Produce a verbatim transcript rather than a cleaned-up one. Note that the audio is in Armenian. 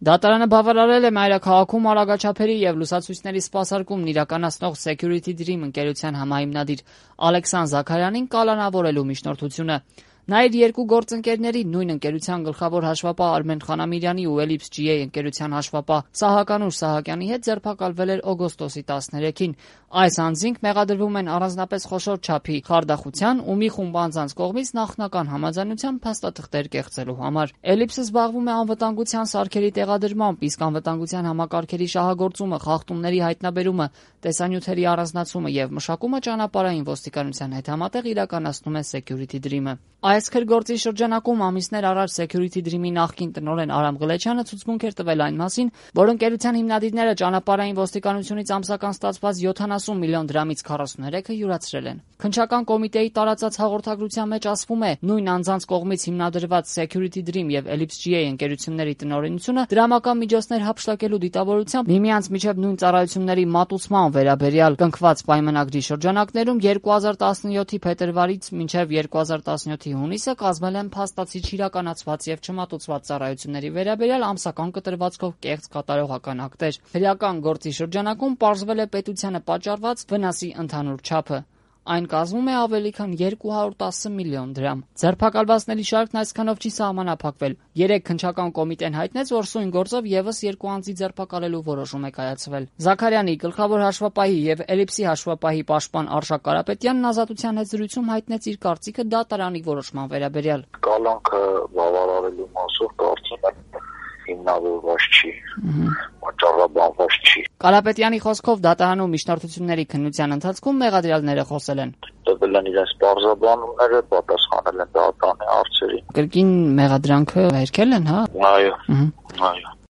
Դատարանը բավարարել է մայրաքաղաքում արագաչափերի եւ լուսացույցների սպասարկումն իրականացնող Security Dream ընկերության համահիմնադիր Ալեքսան Զաքարյանին կալանավորելու միջնորդությունը։ Նա իր երկու գործընկերների նույն ընկերության գլխավոր հաշվապահ Արմեն Խանամիրյանի ու Ellipse G A ընկերության հաշվապահ Սահականուր Սահակյանի հետ ձերբակալվել էր օգոստոսի տասներեքին։ Այս անձինք մեղադրվում են առանձնապես խոշոր չափի խարդախության ու մի խումբ անձանց կողմից նախնական համաձայնությամբ փաստաթղթեր կեղծելու համար։ Ellipse-ը զբաղվում է անվտանգության սարքերի տեղադրմամբ, իսկ անվտանգության համակարգերի շահագործումը, խախտումների հայտնաբերումը, տեսանյութերի առանձնացումը եւ մշակումը ճանապարհային ոստիկանության հետ համատեղ իրականացնում է Security Dream-ը։ Այս քրգործի շրջանակում ամիսներ առաջ Security Dream-ի նախկին տնօրեն Արամ Գլեչյանը ցուցմունք էր տվել այն մասին, որ ընկերության հիմնադիրները ճանապարհային ոստիկանությունից ամսական ստացված յոթանասուն միլիոն դրամից քառասուներեքը յուրացրել են։ Քննչական կոմիտեի տարածած հաղորդագրության մեջ ասվում է, նույն անձանց կողմից հիմնադրված Security Dream եւ Ellipse G A ընկերությունների տնօրենությունը դրամական միջոցներ հափշտակելու դիտավորությամբ միմյանց միջև նույն ծառայությունների մատուցման վերաբերյալ կնքված պայմանագրի շրջանակներում երկու հազար տասնյոթի փետրվարից մինչև երկու հազար տասնյոթի հունիսը կազմել են փաստացի չիրականացված եւ չմատուցված ծառայությունների վերաբերյալ ամսական կտրվածքով կեղծ կատարողական ակտեր։ Հրեական գործի շրջանակում պարզվել է պետությանը պատճառված վնասի ընդհանուր չափը։ Այն կազմում է ավելի քան երկու հարյուր տասը միլիոն դրամ։ Ձերբակալվածների շարքն այսքանով չի սահմանափակվել։ Երեք քննչական կոմիտեն հայտնեց, որ սույն գործով եւս երկու անձի ձերբակալելու որոշում է կայացվել։ Զաքարյանի գլխավոր հաշվապահի եւ Ellipse-ի հաշվապահի պաշտպան Արշակ Կարապետյանն Ազատության հետ զրույցում հայտնեց իր կարծիքը դատարանի որոշման վերաբերյալ։ Կալանքը բավարարելու մասով կարծում եմ հիմնավորված չի, վաճառաբանված չի։ Կարապետյանի խոսքով դատարանում միջնորդությունների քննության ընթացքում մեղադրյալները խոսել են։ Տվել են իրենց բարձրաբանումները, պատասխանել են դատարանի հարցերին։ Կրկին մեղադրանքը հերքել են, հա։ Այո, այո։